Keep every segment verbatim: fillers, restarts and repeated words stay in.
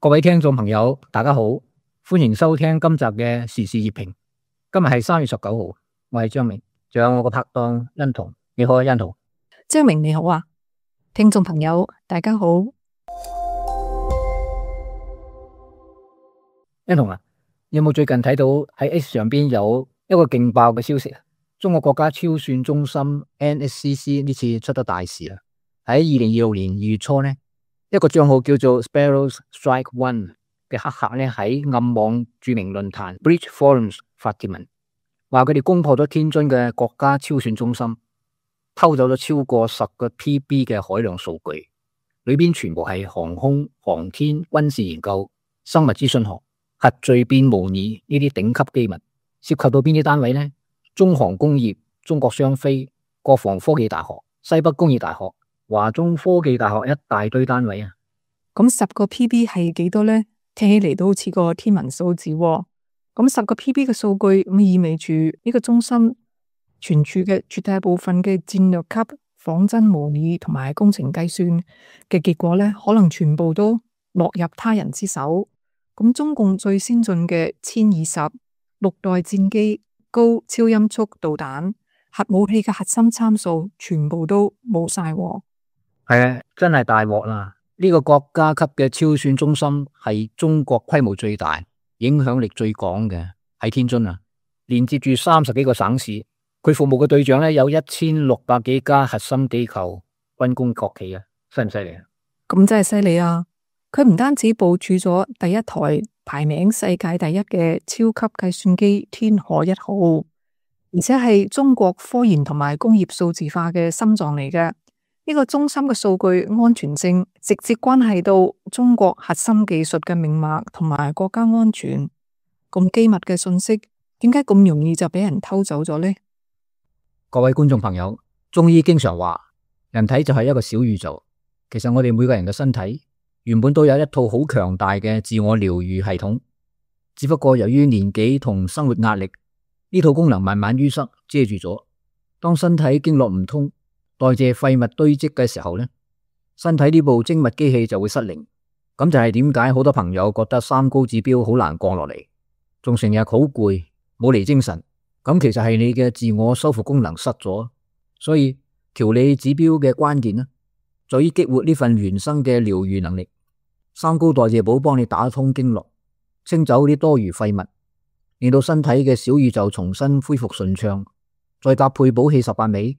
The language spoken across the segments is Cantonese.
各位聽眾朋友，大家好，歡迎收聽今集嘅時事熱評。今日係三月十九號，我係張明，仲有我個拍檔欣彤。你好啊，欣彤。張明你好啊，聽眾朋友大家好。欣彤啊，你有冇最近睇到喺 X 上邊有一個勁爆嘅消息啊？中國國家超算中心 N S C C 呢次出咗大事啦！喺二零二六年二月初呢，一個賬號叫做 Sparrows Strike One 嘅黑客呢，喺暗網著名論壇 Breach Forums 發帖文，話佢哋攻破咗天津嘅國家超算中心，偷走咗超過十個 P B 嘅海量數據，裏邊全部係航空、航天、軍事研究、生物資訊學、核聚變模擬呢啲頂級機密。涉及到邊啲單位呢？中航工業、中國商飛、國防科技大學、西北工業大學、華中科技大學，一大堆單位啊！咁十個 P B 係幾多呢？聽起嚟都好似個天文數字喎。咁十個 P B 嘅數據咁意味住呢個中心存儲嘅絕大部分嘅戰略級仿真模擬同埋工程計算嘅結果呢，可能全部都落入他人之手。咁中共最先進嘅殲二十六代戰機、高超音速導彈、核武器嘅核心參數全部都冇晒。係啊，真係大鑊啦！呢個國家級嘅超算中心係中國規模最大、影響力最廣嘅，喺天津啊，連接住三十幾個省市。佢服務嘅對象咧有一千六百幾家核心機構、軍工國企啊，犀唔犀利啊？咁真係犀利啊！佢唔單止部署咗第一台排名世界第一嘅超級計算機天河一號，而且係中國科研同埋工業數字化嘅心臟嚟嘅。呢個中心嘅數據安全性直接關係到中國核心技術嘅命脈同埋國家安全。咁機密嘅信息，點解咁容易就俾人偷走咗呢？各位觀眾朋友，中醫經常話人體就係一個小宇宙。其實我哋每個人嘅身體原本都有一套好強大嘅自我療愈系統，只不過由於年紀同生活壓力，呢套功能慢慢淤塞遮住咗。當身體經絡唔通，代謝廢物堆積嘅時候呢，身體呢部精密機器就會失靈。咁就係點解好多朋友覺得三高指標好難降落嚟，仲成日好攰，冇嚟精神。咁其實係你嘅自我修復功能失咗。所以調理指標嘅關鍵呢，在於激活呢份原生嘅療愈能力。三高代謝寶幫你打通經絡，清走啲多餘廢物，令到身體嘅小宇宙重新恢復順暢。再搭配補氣十八味，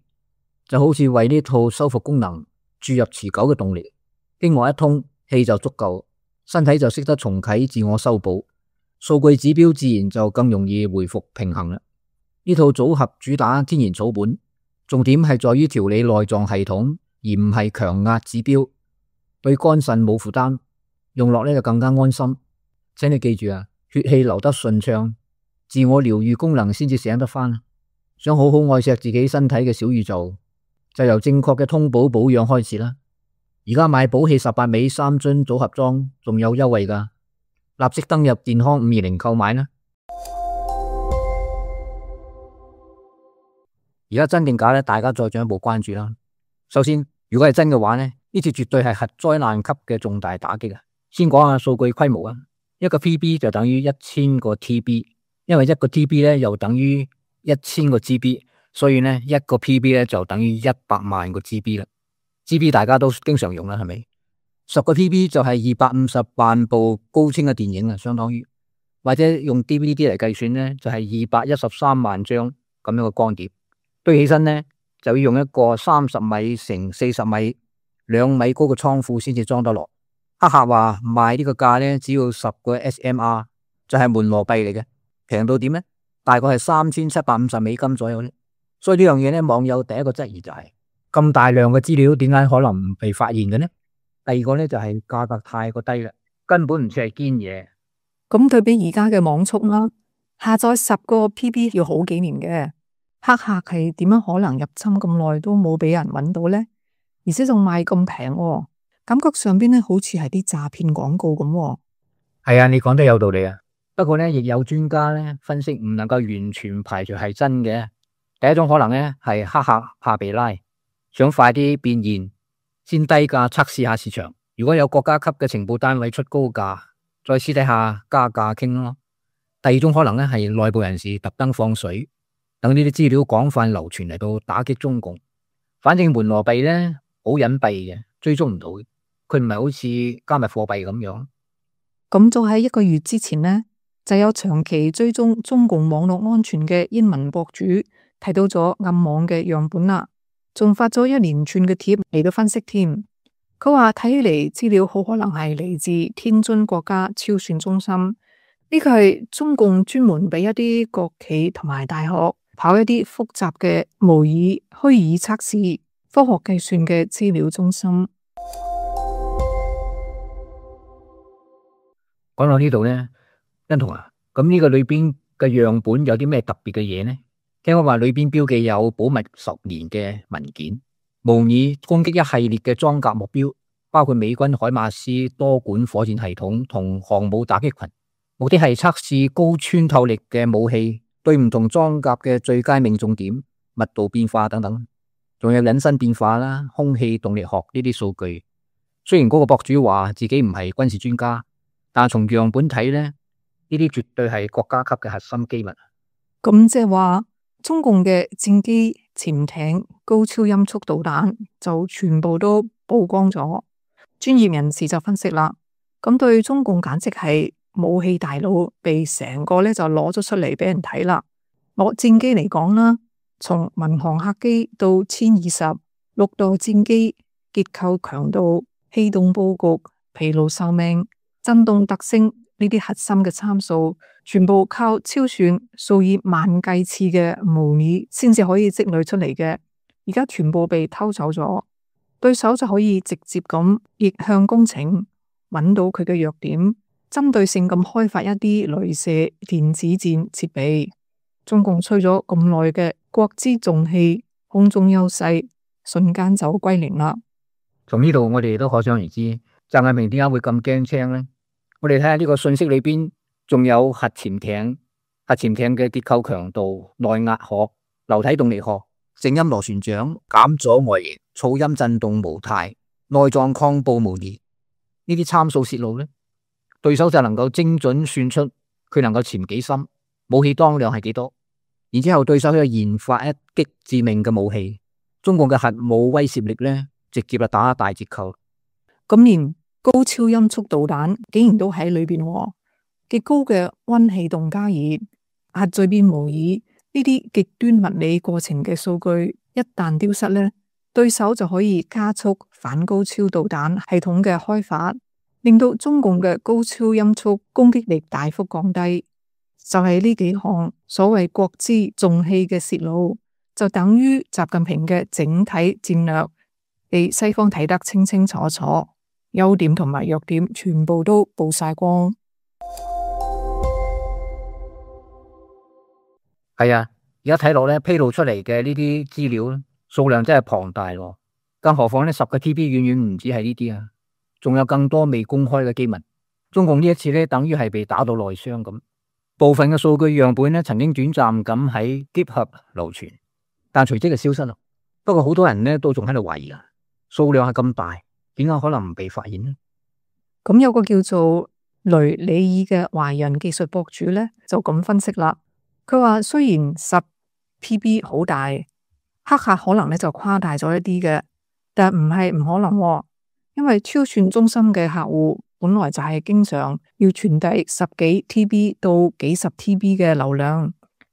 就好似為呢套修復功能注入持久嘅動力。經絡一通，氣就足夠，身體就識得重啟自我修補，數據指標自然就更容易回復平衡啦。呢套組合主打天然草本，重點係在於調理內臟系統，而唔係強壓指標，對肝腎冇負擔，用落呢就更加安心。請你記住啊，血氣流得順暢，自我療愈功能先至醒得返。想好好愛錫自己身體嘅小宇宙，就由正確嘅通補保養開始啦。而家買補氣十八味三樽組合裝仲有優惠㗎，立即登入健康五二零購買啦。而家真定假咧？大家再進一步關注啦。首先，如果係真嘅話呢，呢次絕對係核災難級嘅重大打擊啊！先講下數據規模啊，一個 P B 就等於一千個 T B， 因為一個 T B 咧又等於一千個 G B， 所以呢一個 P B 咧就等於一百萬個 G B 啦。G B 大家都經常用啦，係咪？十個 P B 就係二百五十萬部高清嘅電影啊，相當於或者用 D V D 嚟計算呢，就係二百一十三萬張咁樣嘅光碟。堆起身呢，就要用一個三十米乘四十米兩米高嘅倉庫先至裝得落。黑客話賣呢個價呢，只要十個 S M R， 就係門羅幣嚟嘅，平到點呢？大概係三千七百五十美金左右呢。所以呢樣嘢呢，網友第一個質疑就係、是、咁大量嘅資料點解可能唔被發現嘅呢？第二個呢，就係、是、價格太過低啦，根本唔似係堅嘢。咁對比而家嘅網速啦，下載十個 P B 要好幾年嘅。黑客係點樣可能入侵咁耐都冇俾人揾到呢？而且仲賣咁平喎，感覺上邊咧好似係啲詐騙廣告咁。係啊，你講得有道理啊。不過呢，亦有專家咧分析唔能夠完全排除係真嘅。第一種可能呢，係黑客怕被拉，想快啲變現，先低價測試下市場。如果有國家級嘅情報單位出高價，再私底下加價傾咯。第二種可能咧係內部人士特登放水，等呢啲資料廣泛流傳嚟到打擊中共。反正門羅幣咧好隱蔽嘅，追蹤唔到嘅，佢唔係好似加密貨幣咁樣。咁早喺一個月之前呢，就有長期追蹤中共網絡安全嘅英文博主睇到咗暗網嘅樣本啦，仲發咗一連串嘅帖嚟到分析添。佢話睇起嚟資料好可能係嚟自天津國家超算中心，呢個係中共專門俾一啲國企同埋大學跑一啲複雜嘅模擬虛擬測試、科學計算嘅資料中心。講到呢度呢，欣彤啊，咁呢個裏邊嘅樣本有啲咩特別嘅嘢呢？聽講話裏邊標記有保密十年嘅文件，模擬攻擊一系列嘅裝甲目標，包括美軍海馬斯多管火箭系統同航母打擊群，目的係測試高穿透力嘅武器對唔同裝甲嘅最佳命中點、密度變化等等，仲有隱身變化啦、空氣動力學呢啲數據。雖然嗰個博主話自己唔係軍事專家，但係從樣本睇呢，呢啲絕對係國家級嘅核心機密。咁即係話，中共嘅戰機、潛艇、高超音速導彈就全部都曝光咗。專業人士就分析啦，咁對中共簡直係武器大腦被成個咧就攞咗出嚟俾人睇啦。攞戰機嚟講啦，從民航客機到殲二十、六代戰機結構強度、氣動布局、疲勞壽命、震動特性呢啲核心嘅參數，全部靠超算數以萬計次嘅模擬先至可以積累出嚟嘅，而家全部被偷走咗，對手就可以直接咁逆向工程，揾到佢嘅弱點，針對性咁開發一啲鐳射電子戰設備。中共吹咗咁耐嘅國之重器空中優勢，瞬間就歸零啦。從呢度我哋都可想而知，習近平點解會咁驚青呢？我哋睇下呢個信息裏邊，仲有核潛艇、核潛艇嘅結構強度、內壓學、流體動力學、靜音螺旋槳、減阻外形、噪音震動模態、內臟抗暴模擬呢啲參數泄露呢，對手就能夠精準算出佢能夠潛幾深，武器當量係幾多，然之後對手可以研發一擊致命嘅武器，中共嘅核武威懾力呢，直接就打大折扣。咁連高超音速導彈竟然都喺裏邊，極高嘅溫氣動加熱、核聚變模擬呢啲極端物理過程嘅數據一旦丟失呢，對手就可以加速反高超導彈系統嘅開發，令到中共嘅高超音速攻擊力大幅降低。就係呢幾項所謂國之重器嘅泄露，就等於習近平嘅整體戰略被西方睇得清清楚楚，優點同埋弱點全部都曝晒光。係啊，而家睇落咧，披露出嚟嘅呢啲資料數量真係龐大咯，更何況呢十個 T B 遠遠唔止係呢啲啊，仲有更多未公開嘅機密。中共呢一次咧，等於係被打到內傷咁。部分嘅數據樣本咧，曾經短暫咁喺 GitHub 流傳，但隨即就消失啦。不過好多人咧都仲喺度懷疑啊，數量係咁大，點解可能唔被發現呢？咁有個叫做雷里爾嘅華人技術博主咧，就咁分析啦。佢話雖然十 P B 好大，黑客可能咧就誇大咗一啲嘅，但唔係唔可能喎，因為超算中心嘅客戶本來就係經常要傳遞十幾 T B 到幾十 T B 嘅流量，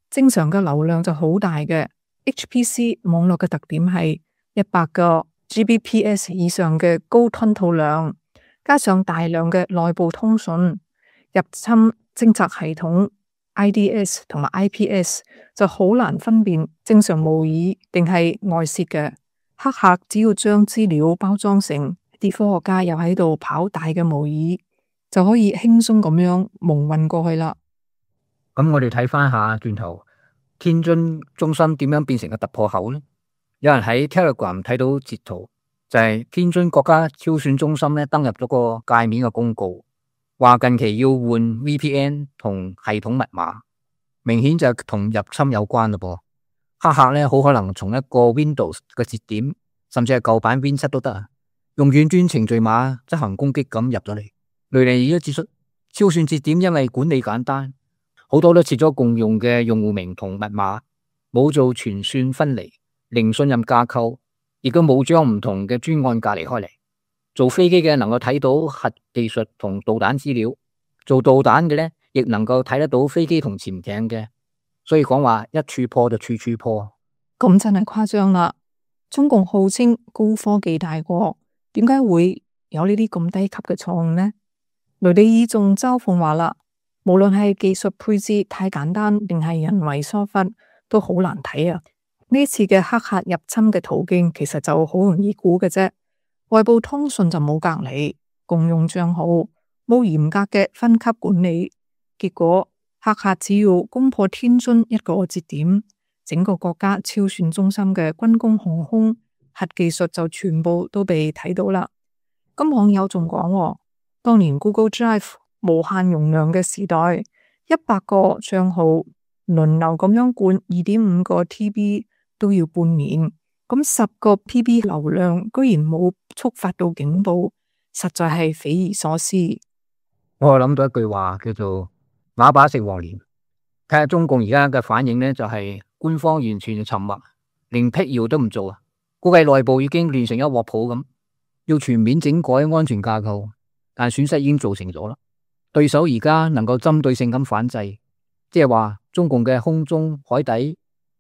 正常嘅流量就好大嘅。H P C 網絡嘅特點係一百個 G B P S 以上嘅高吞吐量，加上大量嘅內部通訊、入侵偵察系統 I D S 同埋 I P S 就好難分辨正常模擬定係外泄嘅。黑客只要將資料包裝成啲科學家又喺度跑大嘅模擬，就可以輕鬆咁樣蒙混過去啦。咁我哋睇翻下轉頭，天津中心點樣變成個突破口呢？有人喺 Telegram 睇到截圖，就係天津國家超算中心咧登入咗個界面嘅公告，話近期要換 V P N 同系統密碼，明顯就同入侵有關嘞噃。黑客咧好可能從一個 Windows 嘅節點，甚至係舊版 Win 七都得啊，用遠端程序碼執行攻擊咁入咗嚟。雷利已經指出，超算節點因為管理簡單，好多都設咗共用嘅用戶名同密碼，冇做全算分離，零信任架構，亦都冇將唔同嘅專案隔離開嚟。做飛機嘅能夠睇到核技術同導彈資料，做導彈嘅咧亦能夠睇得到飛機同潛艇嘅，所以講話一處破就處處破。咁真係誇張啦！中共號稱高科技大國，點解會有呢啲咁低級嘅錯誤呢？雷利爾仲嘲諷話啦，無論係技術配置太簡單，定係人為疏忽，都好難睇啊！呢次嘅黑客入侵嘅途徑，其實就好容易估嘅啫。外部通訊就冇隔離，共用賬號，冇嚴格嘅分級管理，結果黑客只要攻破天津一個節點，整個國家超算中心嘅軍工、航空、核技術就全部都被睇到啦。咁網友仲講，當年 Google Drive 無限容量嘅時代，一百個賬號輪流咁樣灌二點五個 T B 都要半年。咁十個 P B 流量居然冇觸發到警報，實在係匪夷所思。我諗到一句話叫做啞巴食黃連。睇下中共而家嘅反應呢，就係官方完全沉默，連辟謠都唔做啊！估計內部已經亂成一鑊泡咁，要全面整改安全架構，但損失已經造成咗啦。對手而家能夠針對性咁反制，即係話中共嘅空中、海底、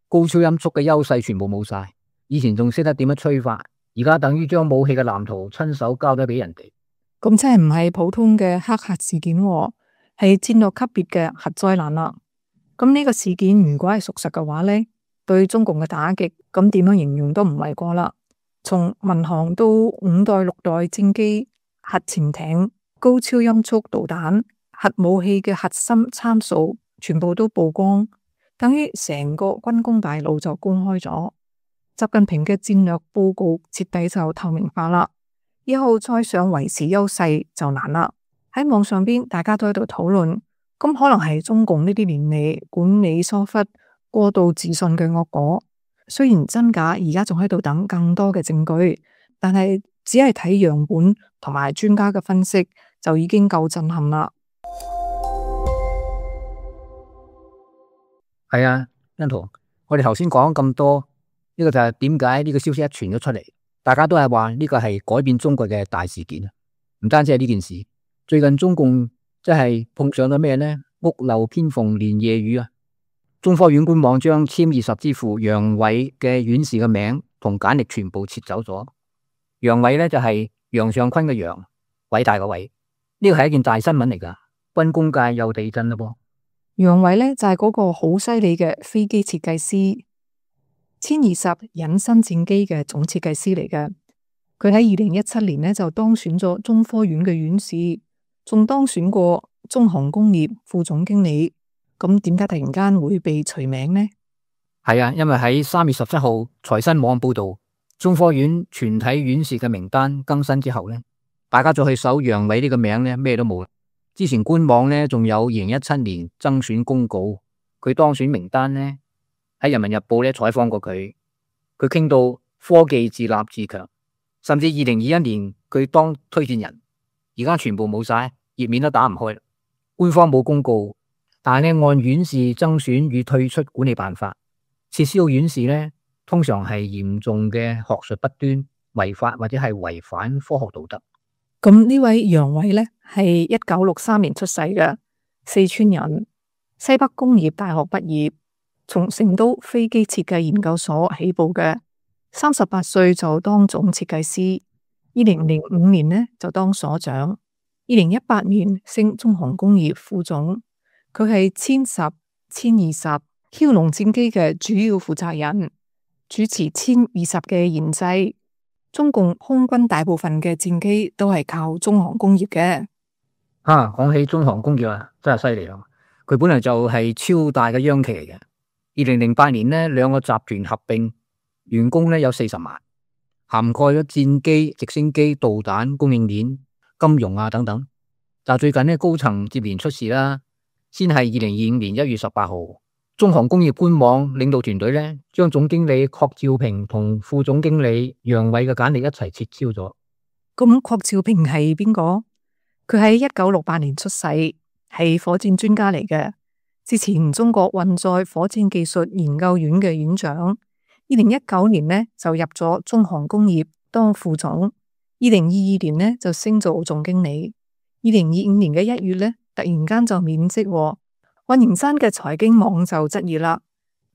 高超音速嘅優勢全部冇晒。以前仲識得點樣吹法，而家等於將武器嘅藍圖親手交咗俾人哋。咁真係唔係普通嘅黑客事件，係戰略級別嘅核災難啦。咁呢個事件如果係屬實嘅話呢，對中共嘅打擊，咁點樣形容都唔為過啦。從民航到五代六代戰機、核潛艇、高超音速導彈、核武器嘅核心參數，全部都曝光，等於成個軍工大路就公開咗。習近平嘅戰略報告徹底就透明化啦，以後再想維持優勢就難啦。喺網上邊大家都喺度討論，咁可能係中共呢啲年嚟管理疏忽、過度自信嘅惡果。雖然真假而家仲喺度等更多嘅證據，但係只係睇樣本同埋專家嘅分析就已經夠震撼啦。係啊，欣圖，我哋頭先講咁多。呢個就係點解呢個消息一傳咗出嚟，大家都係話呢個係改變中國嘅大事件啊！唔單止係呢件事，最近中共即係碰上咗咩呢？屋漏偏逢連夜雨啊！中科院官網將殲二十之父楊偉嘅院士嘅名同簡歷全部撤走咗。楊偉呢就係楊尚昆嘅楊，偉大嘅偉。呢個係一件大新聞嚟噶，軍工界又地震啦噃。楊偉呢就係嗰個好犀利嘅飛機設計師。殲二十隱身戰機嘅總設計師嚟嘅，佢喺二零一七年呢就當選咗中科院嘅院士，仲當選過中航工業副總經理。咁點解突然間會被除名呢？係啊，因為喺三月十七號財新網報道，中科院全體院士嘅名單更新之後呢，大家再去搜楊偉呢個名呢，咩都冇啦。之前官網呢仲有二零一七年增選公告，佢當選名單呢。喺人民日報咧採訪過佢，佢傾到科技自立自強，甚至二零二一年佢當推薦人，而家全部冇晒，頁面都打唔開。官方冇公告，但係咧按院士增選與退出管理辦法，撤銷院士咧通常係嚴重嘅學術不端、違法或者係違反科學道德。咁呢位楊偉呢，係一九六三年出世嘅，四川人，西北工業大學畢業。從成都飛機設計研究所起步嘅，三十八歲就當總設計師，二零零五年呢就當所長，二零一八年升中航工業副總。佢係殲十、殲二十、梟龍戰機嘅主要負責人，主持殲二十嘅研製。中共空軍大部分嘅戰機都係靠中航工業嘅。啊，講起中航工業啊，真係犀利咯！佢本來就係超大嘅央企嚟嘅。二零零八年呢，兩個集團合併，員工呢有四十萬，涵蓋咗戰機、直升機、導彈、供應鏈、金融啊等等。但最近呢，高層接連出事啦，先係二零二五年一月十八號，中航工業官網領導團隊呢將總經理郝兆平同副總經理楊偉嘅簡歷一齊撤銷咗。咁郝兆平係邊個？佢喺一九六八年出世，係火箭專家嚟嘅。之前中國運載火箭技術研究院嘅院長。二零一九年呢就入咗中航工業當副總。二零二二年呢就升做總經理。二零二五年嘅一月呢突然間就免職。溫營山嘅財經網就質疑啦，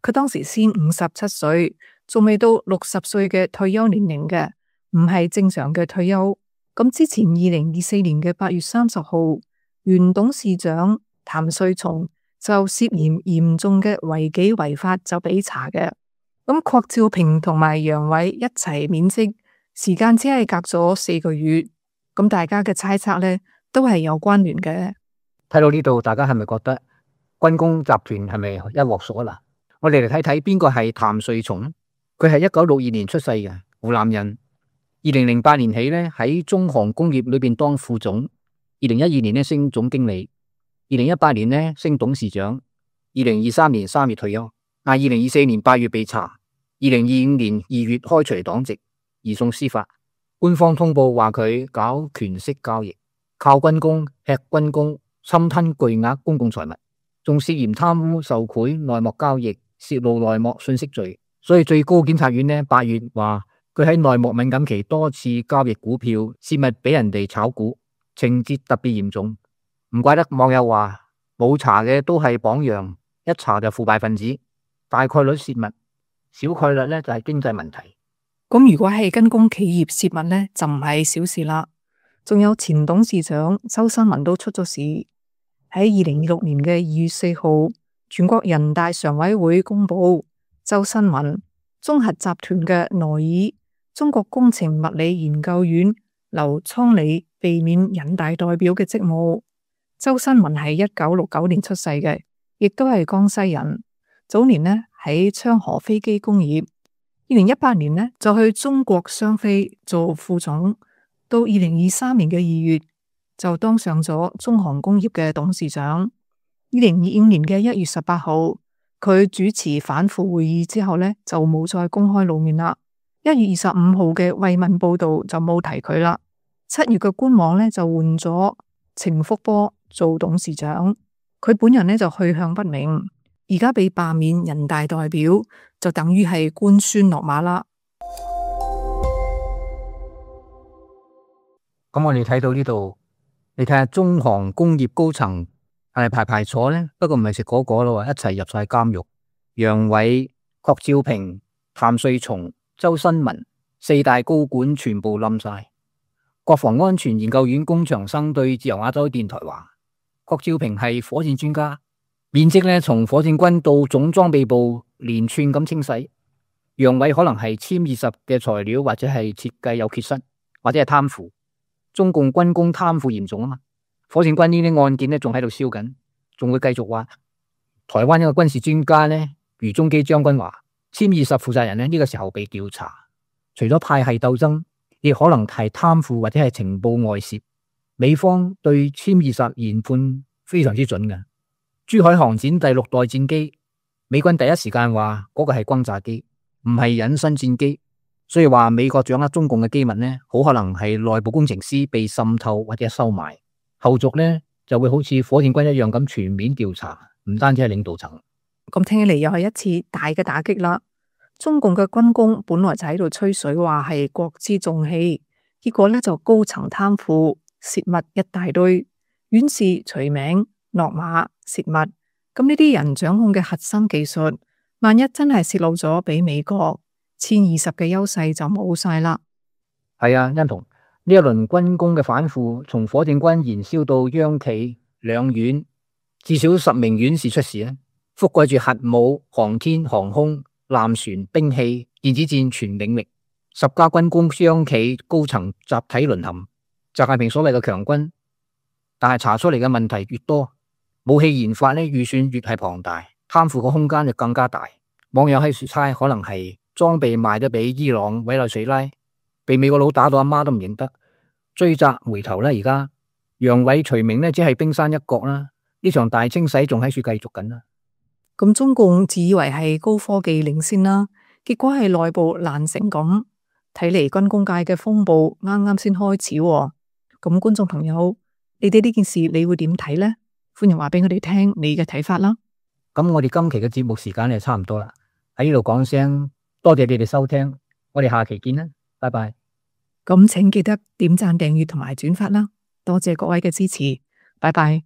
佢當時先五十七歲，仲未到六十歲嘅退休年齡嘅，唔係正常嘅退休。咁之前二零二四年嘅八月三十號，原董事長譚瑞松就涉嫌嚴重嘅違紀違法就俾查嘅。咁郭照平同埋楊偉一齊免職，時間只係隔咗四個月。咁大家嘅猜測呢都係有關聯嘅。睇到呢度，大家係咪覺得軍工集團係咪一鑊熟啊？嗱，我哋嚟睇睇邊個係譚瑞松。佢係一九六二年出世嘅湖南人。二零零八年起呢，喺中航工業裏邊當副總。二零一二年呢升總經理。二零一八年呢升董事長。二零二三年三月退休。啊，二零二四年八月被查。二零二五年二月開除黨籍，移送司法。官方通報話佢搞權色交易，靠軍工吃軍工，侵吞巨額公共財物，仲涉嫌貪污受賄、內幕交易、泄露內幕信息罪。所以最高檢察院呢八月話佢喺內幕敏感期多次交易股票，泄密俾人哋炒股，情節特別嚴重。唔怪得網友話冇查嘅都係榜樣，一查就腐敗分子，大概率泄密，小概率呢就係經濟問題。咁如果係軍工企業泄密呢，就唔係小事啦。仲有前董事長周新聞都出咗事。喺二零二六年嘅二月四號，全國人大常委會公布周新聞綜合集團嘅內爾中國工程物理研究院劉倉里避免人大代表嘅職務。周新聞係一九六九年出世嘅，亦都係江西人。早年呢喺昌河飛機工業，二零一八年呢就去中國商飛做副總，到二零二三年嘅二月就當上咗中航工業嘅董事長。二零二五年嘅一月十八號，佢主持反腐會議之後呢，就冇再公開露面啦。一月二十五號嘅慰問報道就冇提佢啦。七月嘅官網呢，就換咗程福波做董事長，佢本人呢，就去向不明。而家被罷免人大代表，就等於係官宣落馬啦。咁我哋睇到呢度，你睇下中航工業高層係排排坐呢？不過唔係食果果咯，一齊入晒監獄。楊偉、郭照平、譚瑞松、周新聞四大高管全部冧晒。國防安全研究院龔長生對自由亞洲電台話：郭照平係火箭專家，免職呢，從火箭軍到總裝備部連串咁清洗。楊偉可能係殲二十嘅材料，或者係設計有缺失，或者係貪腐。中共軍工貪腐嚴重啊嘛，火箭軍呢啲案件呢仲喺度燒緊，仲會繼續話。台灣一個軍事專家呢，余宗基將軍話，殲二十負責人呢，呢個時候被調查，除咗派系鬥爭，亦可能係貪腐或者係情報外泄。美方對殲二十研判非常之準嘅。珠海航展第六代戰機，美軍第一時間話嗰個係轟炸機，唔係隱身戰機。所以話美國掌握中共嘅機密呢，好可能係內部工程師被滲透或者收買，後續呢就會好似火箭軍一樣咁全面調查，唔單止係領導層。咁聽起嚟又係一次大嘅打擊啦。中共嘅軍工本來就喺度吹水，話係國之重器，結果呢就高層貪腐泄密一大堆，院士除名落馬泄密。咁呢啲人掌控嘅核心技術，萬一真係泄露咗俾美國，殲二十嘅優勢就冇晒啦。係啊，欣彤，呢一輪軍工嘅反腐，從火箭軍燃燒到央企兩院，至少十名院士出事咧，覆蓋住核武、航天、航空、艦船、兵器、電子戰全領域，十家軍工央企高層集體淪陷。習近平所謂嘅強軍，但係查出嚟嘅問題越多，武器研發呢預算越係龐大，貪腐嘅空間就更加大。網友喺度猜可能係裝備賣咗俾伊朗、委內瑞拉，被美國佬打到阿媽都唔認得，追責回頭啦。而家楊偉除名呢，只係冰山一角啦。呢場大清洗仲喺處繼續緊啦。咁中共自以為係高科技領先啦，結果係內部爛成咁。睇嚟軍工界嘅風暴啱啱先開始喎。咁觀眾朋友，你哋呢件事你會點睇呢？歡迎話俾我哋聽你嘅睇法啦。咁我哋今期嘅節目時間就差唔多啦，喺呢度講聲多謝你哋收聽，我哋下期見啦，拜拜。咁請記得點讚、訂閱同埋轉發啦，多謝各位嘅支持，拜拜。